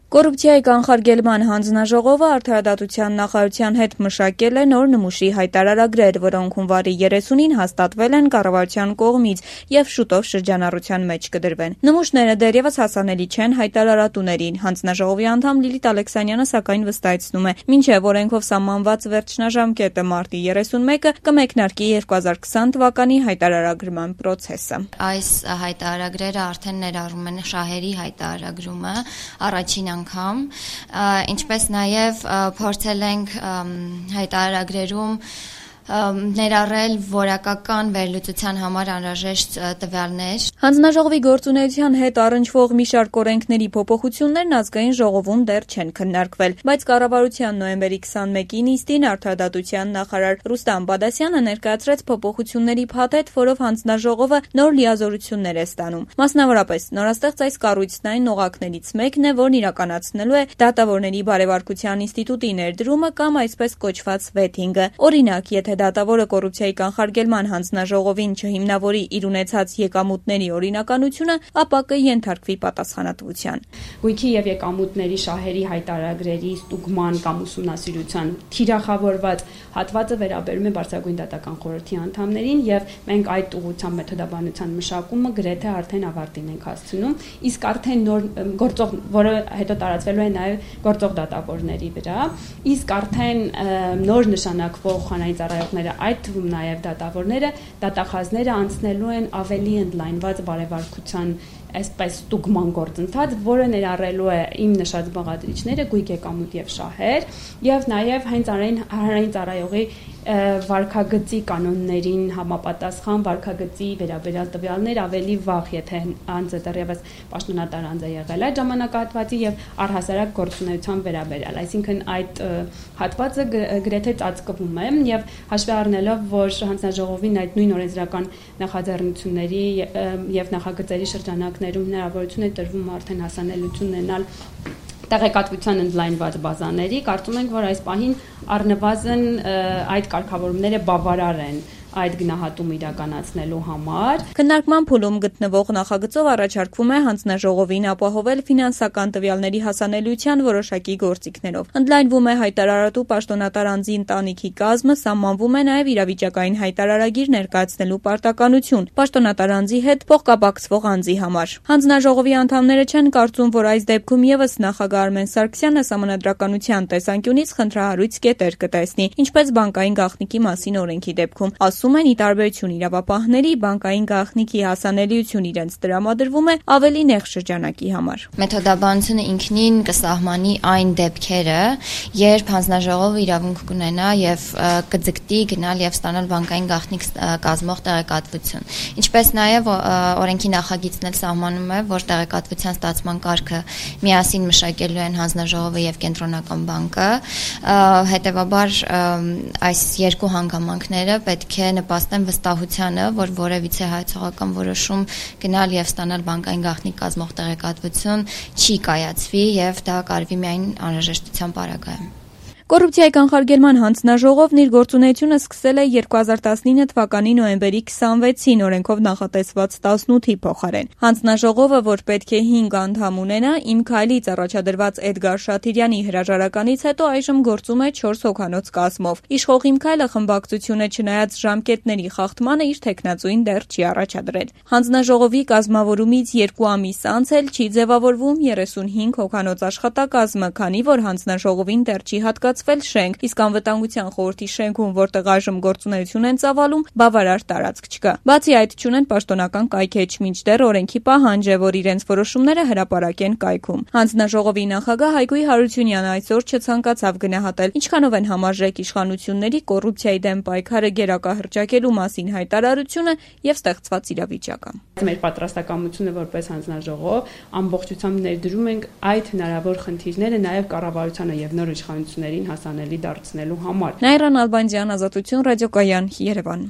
Կոռուպցիայի կանխարգելման հանձնաժողովը Արդարադատության նախարարության հետ մշակել է նոր նմուշի հայտարարագրեր, որոնք հունվարի 30-ին հաստատվել են կառավարության կողմից եւ շուտով շրջանառության մեջ կդրվեն։ Նմուշները դեռևս հասանելի չեն հայտարարատուներին։ Հանձնաժողովի անդամ Լիլիթ Ալեքսանյանը սակայն վստահեցնում է, մինչեւ օրենքով սահմանված վերջնաժամկետը մարտի 31-ը կմեկնարկի 2020 թվականի հայտարարագրման պրոցեսը։ Այս հայտարարագրերը արդեն ներառում են շահերի հայտարարումը առաջին անգամ, ինչպես նաև փորձել ենք հայտարարագրերում ներառել որակական վերլուծության համար անհրաժեշտ տվյալներ։ Հանձնաժողովի գործունեության հետ առնչվող մի շարք օրենքների փոփոխություններն ազգային ժողովում դեռ չեն քննարկվել, բայց կառավարության նոյեմբերի 21-ի նիստին Արդարադատության նախարար Ռուստամ Բադասյանը ներկայացրեց փոփոխությունների փաթեթ, որով հանձնաժողովը նոր լիազորություններ է ստանում։ Մասնավորապես, նորաստեղծ այս կառույցն այն օղակներից մեկն է, որն իրականացնելու է դատավորների բարեվարկության ինստիտուտի ներդրումը կամ այսպես կոչված վեթինգը։ Օրինակ, եթե դատավորը կոռուպցիայի կանխարգելման հանձնաժողովին չհիմնավորի իր ունեցած եկամուտների օրինականությունը, ապա կենթարկվի պատասխանատվության։ Գույքի եւ եկամուտների շահերի հայտարարագրերի ստուգման կամ ուսումնասիրության թիրախավորված հատվածը վերաբերում է Բարձրագույն դատական խորհրդի անդամներին եւ մենք այդ ուղղությամբ մեթոդաբանության մշակումը գրեթե արդեն ավարտին ենք հասցնում, իսկ արդեն նոր գործող, որը հետո տարածվելու է նաեւ գործող դատավորների վրա, իսկ արդեն նոր նշանակվող խանայից այդ թվում նաև դատավորները, դատախազները անցնելու են ավելի ընդլայնված բարեվարկության այսպես ստուգման գործընթաց, որը ներառելու է իմ նշած բաղադրիչները, գույք եկամուտ եւ շահեր, եւ նաև հենց հանրային ծառայողի վարքագծի կանոններին համապատասխան վարքագծի վերաբերյալ տվյալներ ավելի վաղ, եթե անձը դեռևս պաշտոնատար անձ է եղել այդ ժամանակահատվածի եւ առհասարակ գործունեության վերաբերյալ, այսինքն այդ հատվածը գրեթե ծածկվում է եւ հաշվի առնելով, որ հանձնաժողովին այդ նույն օրենսդրական նախաձեռնությունների եւ նախագծերի շրջանակներում հնարավորություն է տրվում արդեն հասանելիություն ունենալ տեղեկատվության ընդլայնված բազաների, կարծում ենք, որ այս պահին առնվազն այդ կարգավորումները բավարար են այդ գնահատումը իրականացնելու համար։ Քննարկման փուլում գտնվող նախագծով առաջարկվում է հանձնաժողովին ապահովել ֆինանսական տվյալների հասանելիության որոշակի գործիքներով։ Ընդլայնվում է հայտարարատու պաշտոնատար անձի ընտանիքի կազմը, սահմանվում է նաև իրավիճակային հայտարարագիր ներկայացնելու պարտականություն պաշտոնատար անձի հետ փոխկապակցվող անձի համար։ Հանձնաժողովի անդամները չեն կարծում, որ այս դեպքում եւս նախագահ Արմեն Սարգսյանը սահմանադրականության տեսանկյունից խնդրահարույց կետեր կտեսնի, ինչպես բանկային գաղտնիքի մասին օրենքի դեպքում։ Ասում են, ի տարբերություն իրավապահների, բանկային գաղտնիքի հասանելիություն իրենց տրամադրվում է ավելի նեղ շրջանակի համար։ Մեթոդաբանությունը ինքնին կսահմանի այն դեպքերը, երբ հանձնաժողովը իրավունք կունենա եւ կձգտի գնալ եւ ստանալ բանկային գաղտնիք կազմող տեղեկատվություն։ Ինչպես նաեւ օրենքի նախագիծն էլ սահմանում է, որ տեղեկատվության ստացման կարգը միասին մշակելու են հանձնաժողովը եւ կենտրոնական բանկը, հետեւաբար այս երկու հանգամանքները պետք է նպաստեն վստահությանը, որ որևիցե հայցողական որոշում գնալ եւ ստանալ բանկային գաղտնիք կազմող տեղեկատվություն չի կայացվի եւ դա կարվի միայն անհրաժեշտության պարագայում։ Կոռուպցիայի կանխարգելման հանձնաժողովն իր գործունեությունը սկսել է 2019 թվականի նոյեմբերի 26-ին օրենքով նախատեսված 18-ի փոխարեն։ Հանձնաժողովը, որ պետք է 5 անդամ ունենա, Իմ քայլից առաջադրված Էդգար Շաթիրյանի հրաժարականից հետո այժմ գործում է 4 հոգանոց կազմով։ Իշխող Իմ քայլը խմբակցությունը չնայած ժամկետների խախտմանը իր թեկնածուին դեռ չի առաջադրել։ Հանձնաժողովի կազմավորումից 2 ամիս անց էլ չի ձևավորվում 35 հոգանոց աշխատակազմը, քանի որ հանձնաժողովին դեռ չի հատկացվել շենք, իսկ անվտանգության խորհրդի շենքում, որտեղ այժմ գործունեություն են ծավալում, բավարար տարածք չկա։ Բացի այդ, չունեն պաշտոնական կայքեջ, մինչդեռ օրենքի պահանջ է, որ իրենց որոշումները հրապարակեն կայքում։ Հանձնաժողովի նախագահ Հայգույ Հարությունյանը այսօր չցանկացավ գնահատել ինչքանով են համարժեք իշխանությունների կոռուպցիայի դեմ պայքարը գերակահռչակելու մասին հայտարարությունը եւ ստեղծված իրավիճակը։ Մեր պատրաստակամությունը որպես հանձնաժողով ամբողջությամբ ներդրում ենք այդ հնարավոր խնդիրները նաեւ կառավարությանը եւ նոր իշխանություններին հասանելի դարձնելու համար։ Նաիրան Ալբանդյան, Ազատություն ռադիոկայան, Երևան։